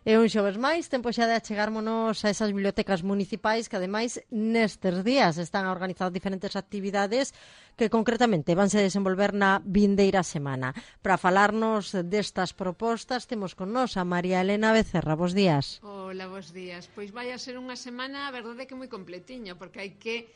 E un xoves máis, tempo xa de achegármonos a esas bibliotecas municipais que ademais nestes días están a organizar diferentes actividades que concretamente vanse desenvolver na vindeira semana. Para falarnos destas propostas temos con nos a María Elena Becerra. Bos días. Hola, bos días. Pois vai a ser unha semana, a verdade que moi completiña, porque hai que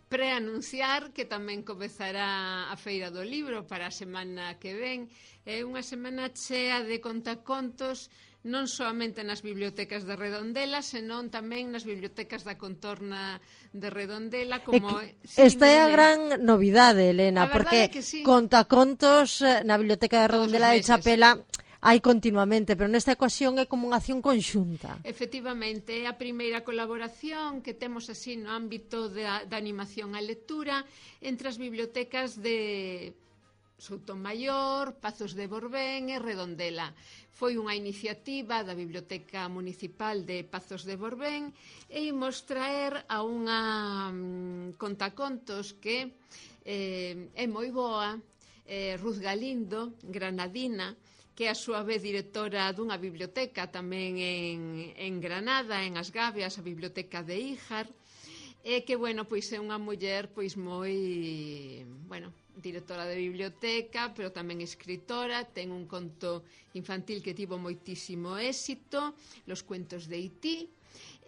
preanunciar que tamén comezará a Feira do Libro para a semana que ven. É unha semana chea de contacontos, non soamente nas bibliotecas de Redondela, senón tamén nas bibliotecas da contorna de Redondela. Como... Esta é a gran novidade, Elena, porque sí. contacontos na biblioteca de Redondela de Chapela hai continuamente, pero nesta ocasión é como unha acción conxunta. Efectivamente, é a primeira colaboración que temos así no ámbito da animación á lectura entre as bibliotecas de Soutomaior, Pazos de Borbén e Redondela. Foi unha iniciativa da Biblioteca Municipal de Pazos de Borbén e imos traer a unha contacontos que é moi boa, Ruth Galindo, granadina, que é a súa vez directora dunha biblioteca tamén en Granada, en As Gavias, a Biblioteca de Híjar, e que, bueno, pois é unha muller pois moi, bueno, directora de biblioteca, pero tamén escritora, ten un conto infantil que tivo moitísimo éxito, Los cuentos de Haití,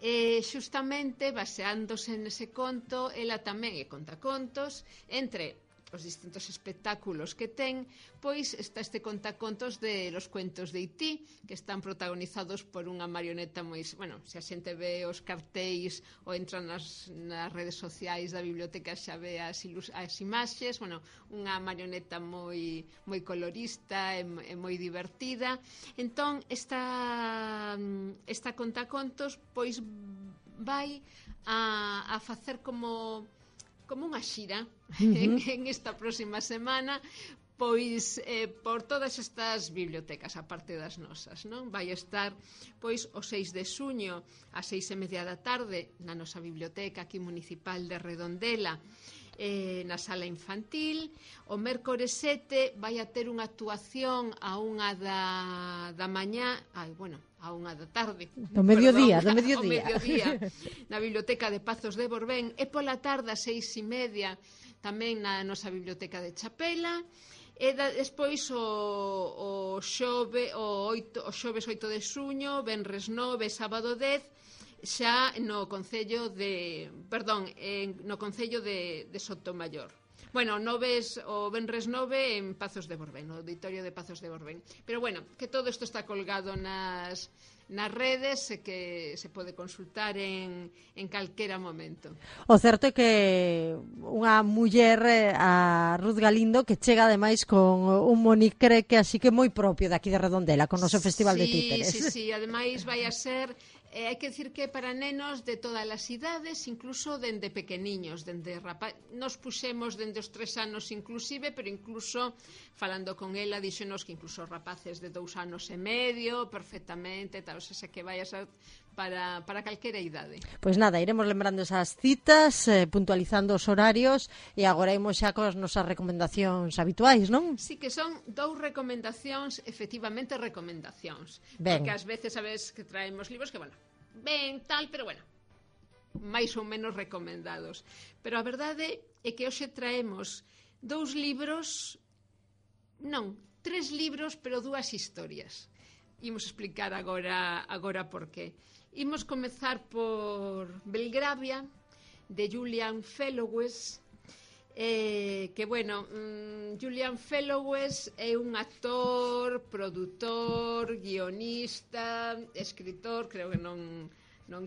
e xustamente baseándose nese conto, ela tamén é contacontos, entre os distintos espectáculos que ten, pois está este contacontos de Los cuentos de Haití, que están protagonizados por unha marioneta moi... Bueno, se a xente ve os cartéis ou entra nas redes sociais da biblioteca xa ve as imaxes, bueno, unha marioneta moi colorista e moi divertida. Entón, esta contacontos pois vai a facer como unha xira en esta próxima semana, pois por todas estas bibliotecas, a parte das nosas, non? Vai estar pois o 6 de xuño ás 6:30 da tarde na nosa biblioteca aquí municipal de Redondela, na sala infantil. O mércores 7 vai a ter unha actuación a 1 da mañá, a 1 da tarde, do mediodía, na biblioteca de Pazos de Borbén, e pola tarde a 6:30 tamén na nosa biblioteca de Chapela. E despois o xoves 8 de xuño, venres 9, sábado 10, xa no Concello de Sotomayor. Bueno, o venres 9 en Pazos de Borbén, no auditorio de Pazos de Borbén. Pero bueno, que todo isto está colgado nas redes e que se pode consultar en calquera momento. O certo é que unha muller, a Ruth Galindo, que chega ademais con un monicre que así que moi propio daqui de Redondela, con o noso Festival de Títeres. Sí, ademais vai a ser... hai que dicir que para nenos de todas as idades, incluso dende pequeniños, nos puxemos dende os 3 anos inclusive, pero incluso falando con ela díxonos que incluso rapaces de 2 anos e medio perfectamente, tal, o sea que vai a ser para calquera idade. Pois nada, iremos lembrando esas citas, puntualizando os horarios, e agora imos xa coas nosas recomendacións habituais, non? Sí, que son 2 recomendacións, efectivamente recomendacións. Ben. Porque ás veces sabes que traemos libros que, bueno, ben, tal, pero bueno, máis ou menos recomendados. Pero a verdade é que hoxe traemos 2 libros, non, 3 libros, pero 2 historias. Imos explicar agora por qué. Imos comezar por Belgravia, de Julian Fellowes, que, bueno, Julian Fellowes é un actor, produtor, guionista, escritor, creo que non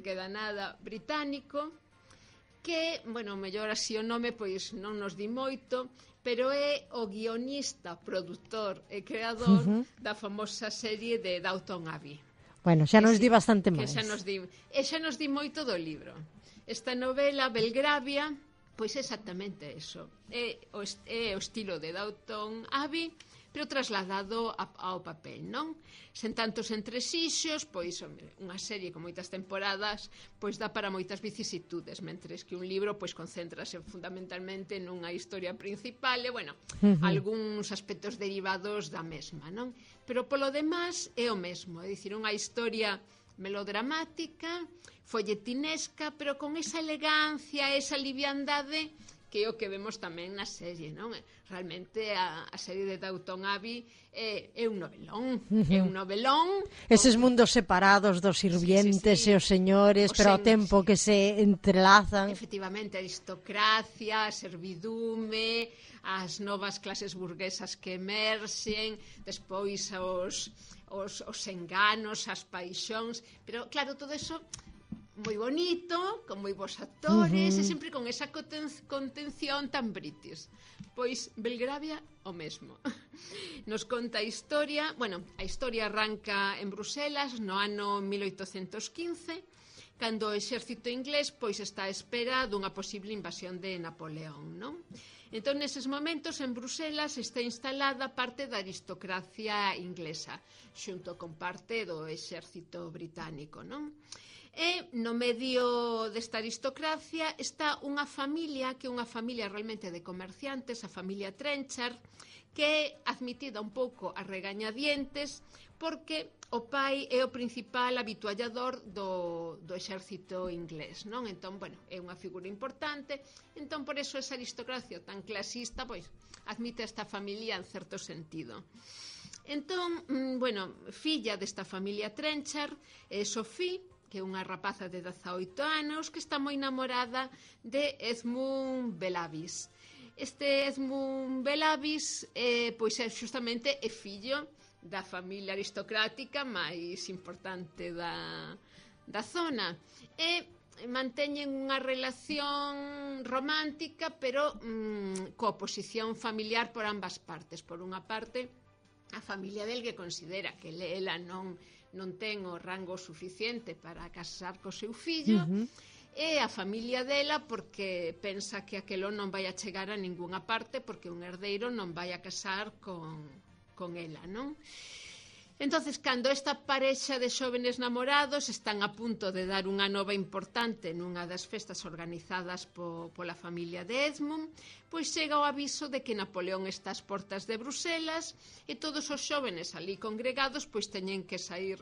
queda nada, británico, que, bueno, mellor así o nome pois non nos di moito, pero é o guionista, produtor e creador da famosa serie de Downton Abbey. Bueno, xa nos di bastante máis. Xa nos di moito do libro. Esta novela, Belgravia, pois exactamente eso. É o estilo de Downton Abbey, pero trasladado ao papel, non? Sen tantos entresixos, pois unha serie con moitas temporadas, pois dá para moitas vicisitudes, mentres que un libro pois concéntrase fundamentalmente nunha historia principal e, bueno, algúns aspectos derivados da mesma, non? Pero polo demás é o mesmo, é dicir, unha historia melodramática, folletinesca, pero con esa elegancia, esa liviandade que é o que vemos tamén na serie, non? Realmente a serie de Downton Abbey é un novelón, é un novelón. Eses mundos separados dos sirvientes e os señores, pero ao tempo que se entrelazan. Efectivamente, a aristocracia, a servidume, as novas clases burguesas que emerxen, despois os enganos, as paixóns, pero claro, todo eso moi bonito, con moi bons actores, e sempre con esa contención tan british. Pois Belgravia o mesmo. Nos conta a historia, bueno, a historia arranca en Bruselas no ano 1815, cando o exército inglés pois está á espera dunha posible invasión de Napoleón, non? Entón, neses momentos, en Bruselas está instalada parte da aristocracia inglesa, xunto con parte do exército británico, non? E no medio desta aristocracia está unha familia, que é unha familia realmente de comerciantes, a familia Trenchard, que é admitida un pouco a regañadientes porque o pai é o principal habituallador do exército inglés, non? Entón, bueno, é unha figura importante, entón por eso esa aristocracia tan clasista, pois, admite a esta familia en certo sentido. Entón, bueno, filla desta familia Trenchard é Sophie, que é unha rapaza de 18 anos que está moi namorada de Edmund Belavis. Este Edmund Belavis pois é xustamente é fillo da familia aristocrática máis importante da zona e manteñen unha relación romántica pero coa oposición familiar por ambas partes. Por unha parte, a familia del que considera que ela non ten o rango suficiente para casar co seu fillo, e a familia dela porque pensa que aquelo non vai a chegar a ningunha parte porque un herdeiro non vai a casar con ela, non? Entonces, cando esta parexa de xóvenes namorados están a punto de dar unha nova importante nunha das festas organizadas pola familia de Edmund, pois chega o aviso de que Napoleón está ás portas de Bruselas e todos os xóvenes ali congregados pois teñen que sair,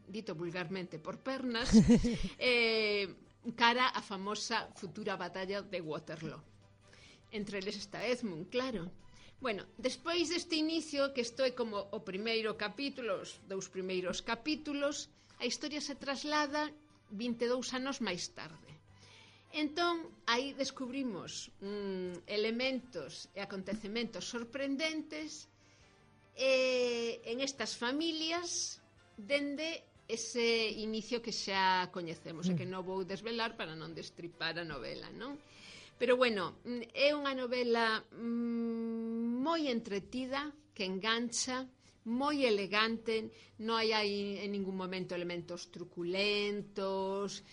dito vulgarmente, por pernas, cara á famosa futura batalla de Waterloo. Entre eles está Edmund, claro. Bueno, despois deste inicio, que isto é como o primeiro capítulo, os dous primeiros capítulos, a historia se traslada 22 anos máis tarde. Entón, aí descubrimos elementos e acontecementos sorprendentes en estas familias dende ese inicio que xa coñecemos e que non vou desvelar para non destripar a novela, non? Pero bueno, é unha novela moi entretida, que engancha, moi elegante, non hai en ningún momento elementos truculentos,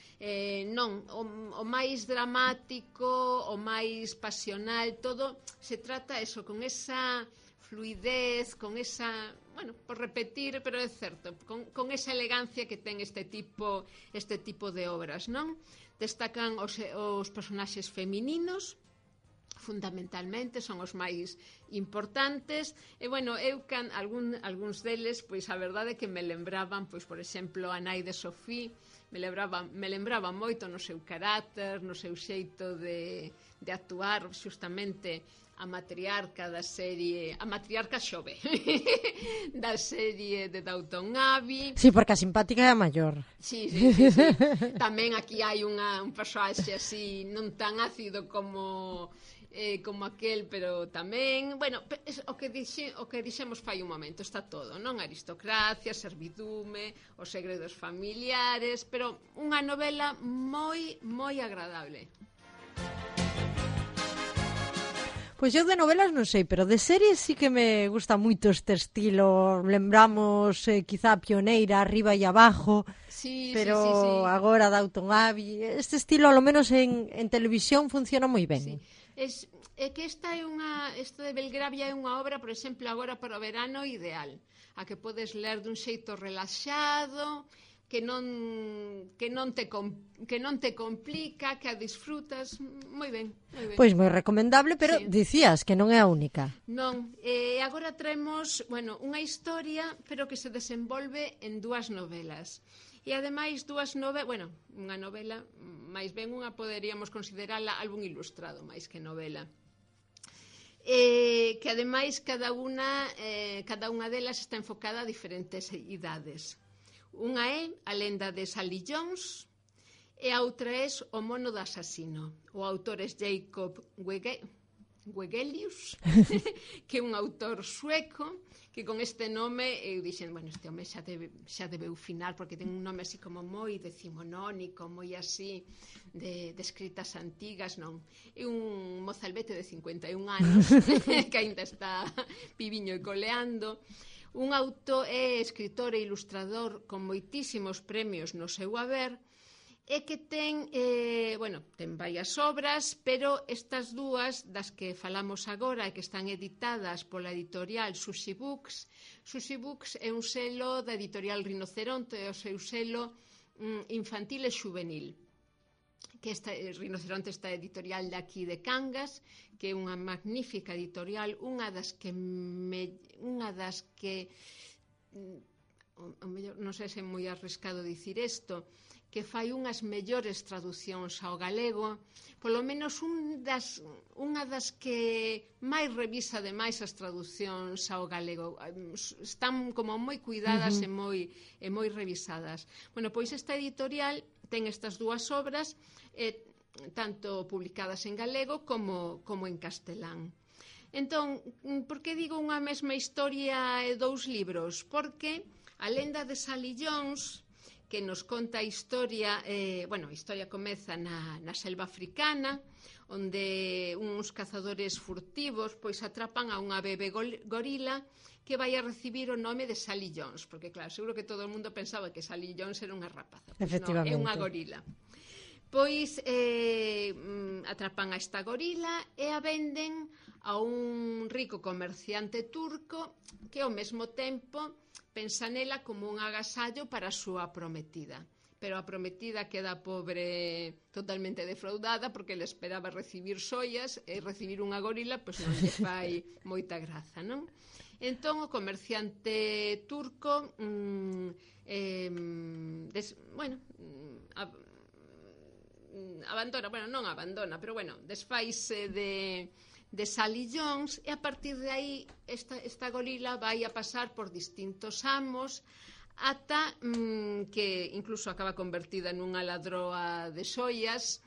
non, o máis dramático, o máis pasional, todo se trata eso, con esa fluidez, con esa, bueno, por repetir, pero é certo, con esa elegancia que ten este tipo de obras, non? Destacan os personaxes femininos, fundamentalmente, son os máis importantes, e, bueno, eu algúns deles, pois, a verdade é que me lembraban, pois, por exemplo, a nai de Sophie, me lembraba moito no seu carácter, no seu xeito de actuar, justamente a matriarca da serie, a matriarca xove da serie de Downton Abbey. Sí, porque a simpática é a maior. Sí. Tamén aquí hai un persoaxe así non tan ácido como aquel, pero tamén, bueno, o que dixemos fai un momento, está todo, non? Aristocracia, servidume, os segredos familiares, pero unha novela moi, moi agradable. Pois eu de novelas non sei, pero de series sí que me gusta moito este estilo. Lembramos quizá Pioneira, Arriba e Abajo, pero sí. Agora Downton Abbey. Este estilo, ao menos en televisión, funciona moi ben. Sí. É que esta de Belgravia é unha obra, por exemplo, agora para o verano ideal, a que podes ler dun xeito relaxado, que non te complica, que a disfrutas moi ben, moi ben. Pois moi recomendable, pero Sí. dicías que non é a única. Non, agora traemos, bueno, unha historia, pero que se desenvolve en dúas novelas. E ademais dúas novelas, bueno, unha novela, máis ben unha poderíamos considerala álbum ilustrado, máis que novela. Que ademais cada unha delas está enfocada a diferentes idades. Unha é A lenda de Sally Jones e a outra é O mono do asasino. O autor é Jacob Wegelius, que é un autor sueco, que con este nome eu dixen, bueno, este home xa debeu finar, porque ten un nome así como moi decimonónico, moi así de escritas antigas, non. É un mozalbete de 51 anos que aínda está viviño e coleando. Un autor é escritor e ilustrador con moitísimos premios no seu haber, e que ten varias obras, pero estas dúas das que falamos agora e que están editadas pola editorial Sushi Books. Sushi Books é un selo da editorial Rinoceronte, é o seu selo infantil e xuvenil, que Rinoceronte está editorial de aquí de Cangas, que é unha magnífica editorial, unha das que non sei se é moi arriscado dicir isto, que fai unhas mellores traducións ao galego, polo menos unha das que máis revisa ademais as traducións ao galego. Están como moi cuidadas e moi revisadas. Bueno, pois esta editorial ten estas dúas obras, tanto publicadas en galego como en castelán. Entón, por que digo unha mesma historia e dous libros? Porque A lenda de Sally Jones, que nos conta a historia, a historia comeza na selva africana, onde uns cazadores furtivos pois atrapan a unha bebé gorila que vai a recibir o nome de Sally Jones, porque claro, seguro que todo o mundo pensaba que Sally Jones era unha rapaza, pois non, é unha gorila. Pois atrapan a esta gorila e a venden a un rico comerciante turco que ao mesmo tempo pensa nela como un agasallo para a súa prometida. Pero a prometida queda pobre, totalmente defraudada, porque ele esperaba recibir xoias e recibir unha gorila pois non lle fai moita graza, non? Entón o comerciante turco desfaise de Sally Jones, e a partir de aí esta gorila vai a pasar por distintos amos ata que incluso acaba convertida nunha ladroa de xoias,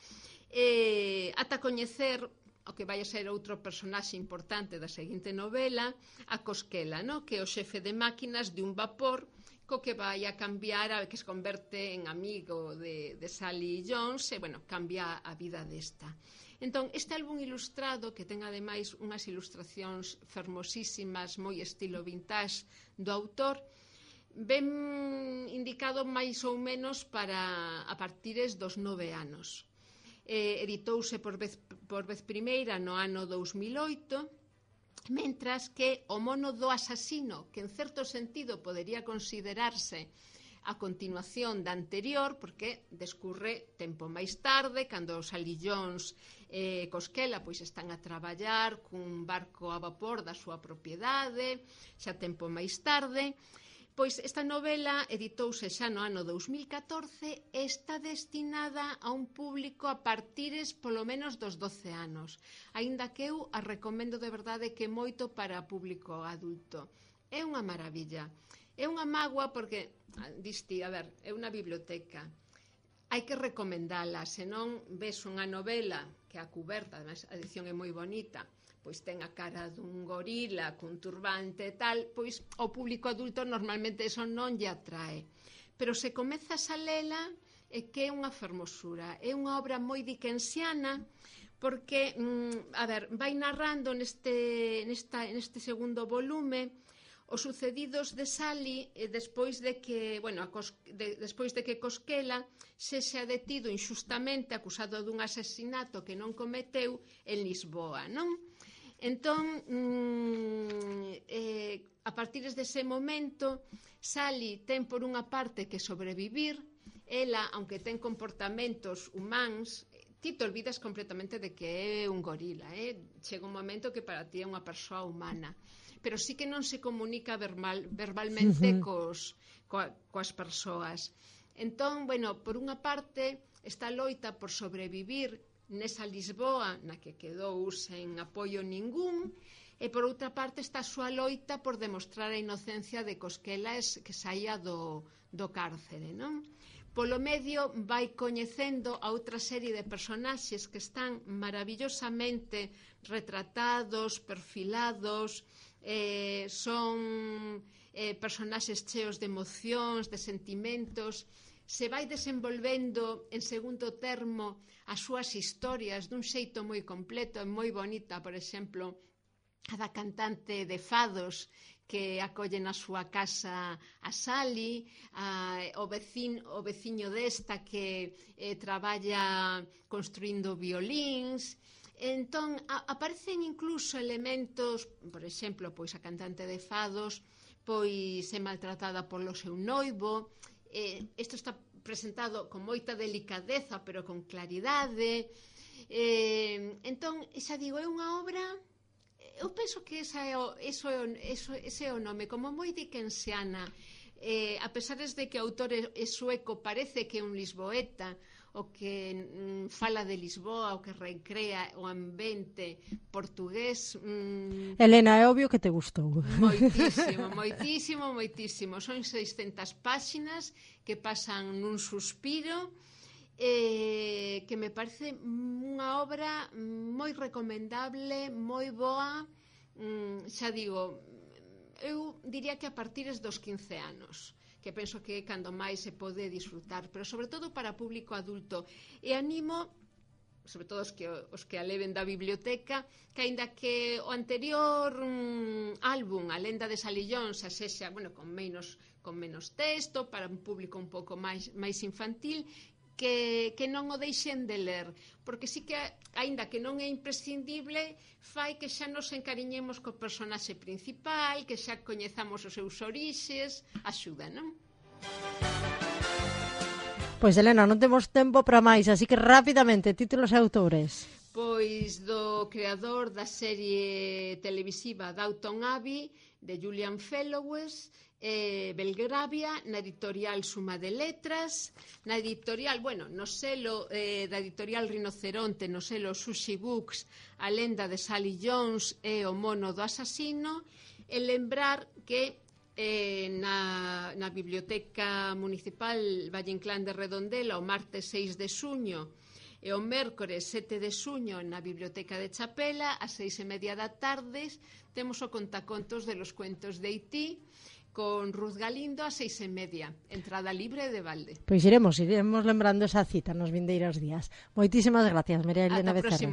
ata coñecer o que vai a ser outro personaxe importante da seguinte novela, a Cosquela, no? Que é o xefe de máquinas de un vapor co que vai a cambiar, que se converte en amigo de Sally Jones e, cambia a vida desta. Entón, este álbum ilustrado, que ten ademais unhas ilustracións fermosísimas, moi estilo vintage do autor, ben indicado máis ou menos para a partires dos 9 anos. Editouse por vez primeira no ano 2008, mentras que O mono do asasino, que en certo sentido podería considerarse a continuación da anterior, porque descurre tempo máis tarde, cando Sally Jones e Cosquela pois están a traballar cun barco a vapor da súa propiedade, xa tempo máis tarde. Pois esta novela editouse xa no ano 2014 e está destinada a un público a partires polo menos dos 12 anos, aínda que eu a recomendo de verdade que moito para público adulto. É unha maravilla. É unha mágoa porque, diste, é unha biblioteca, hai que recomendala, senón ves unha novela que a cuberta, además a edición é moi bonita, pois ten a cara dun gorila cun turbante e tal, pois ao público adulto normalmente eso non lle atrae. Pero se comezas a lela é que é unha fermosura, é unha obra moi dickensiana, porque, vai narrando neste segundo volume os sucedidos de Sally despois de que, despois de que Cosquela sexa detido inxustamente acusado dun asesinato que non cometeu en Lisboa, non? Entón, a partir dese momento, Sally ten por unha parte que sobrevivir. Ela, aunque ten comportamentos humanos, ti te olvidas completamente de que é un gorila, chega un momento que para ti é unha persoa humana, pero sí que non se comunica verbalmente coas persoas. Entón, bueno, por unha parte esta loita por sobrevivir nesa Lisboa na que quedou sen apoio ningún, e por outra parte está a súa loita por demostrar a inocencia de Cosquela que saía do cárcere, non? Polo medio vai coñecendo a outra serie de personaxes que están maravillosamente retratados, perfilados, son personaxes cheos de emocións, de sentimentos. Se vai desenvolvendo en segundo termo as súas historias dun xeito moi completo e moi bonita. Por exemplo, a da cantante de fados que acolle na súa casa a Sally, o veciño desta que traballa construindo violíns. Entón, aparecen incluso elementos, por exemplo, pois a cantante de fados pois é maltratada polo seu noivo. Isto está presentado con moita delicadeza, pero con claridade. Entón, xa digo, é unha obra... Eu penso que ese é o nome, como moi dickensiana. A pesar de que o autor é sueco, parece que é un lisboeta, o que fala de Lisboa, o que recrea o ambiente portugués. Elena, é obvio que te gustou. Moitísimo. Son 600 páxinas que pasan nun suspiro, que me parece unha obra moi recomendable, moi boa. Xa digo, eu diría que a partir dos 15 anos, que penso que é cando máis se pode disfrutar, pero sobre todo para público adulto. E animo, sobre todo os que a leven da biblioteca, que aínda que o anterior álbum, A lenda de Sally Jones, a sexa, bueno, con menos texto, para un público un pouco máis infantil, que non o deixen de ler, porque sí que, aínda que non é imprescindible, fai que xa nos encariñemos co personaxe principal, que xa coñezamos os seus orixes, axuda, non? Pois, Elena, non temos tempo para máis, así que rapidamente, títulos e autores. Pois do creador da serie televisiva Downton Abbey, de Julian Fellowes, Belgravia, na editorial Suma de Letras, na editorial, no selo da editorial Rinoceronte, no selo Sushi Books, A lenda de Sally Jones e O mono do asasino, e lembrar que na Biblioteca Municipal Valle Inclán de Redondela o martes 6 de xuño e o mércores 7 de xuño na Biblioteca de Chapela ás 6:30 da tarde temos o contacontos de los cuentos de Haití con Ruth Galindo ás 6:30, entrada libre de balde. Pois iremos lembrando esa cita nos vindeiros días. Moitísimas gracias, María Elena Becerra.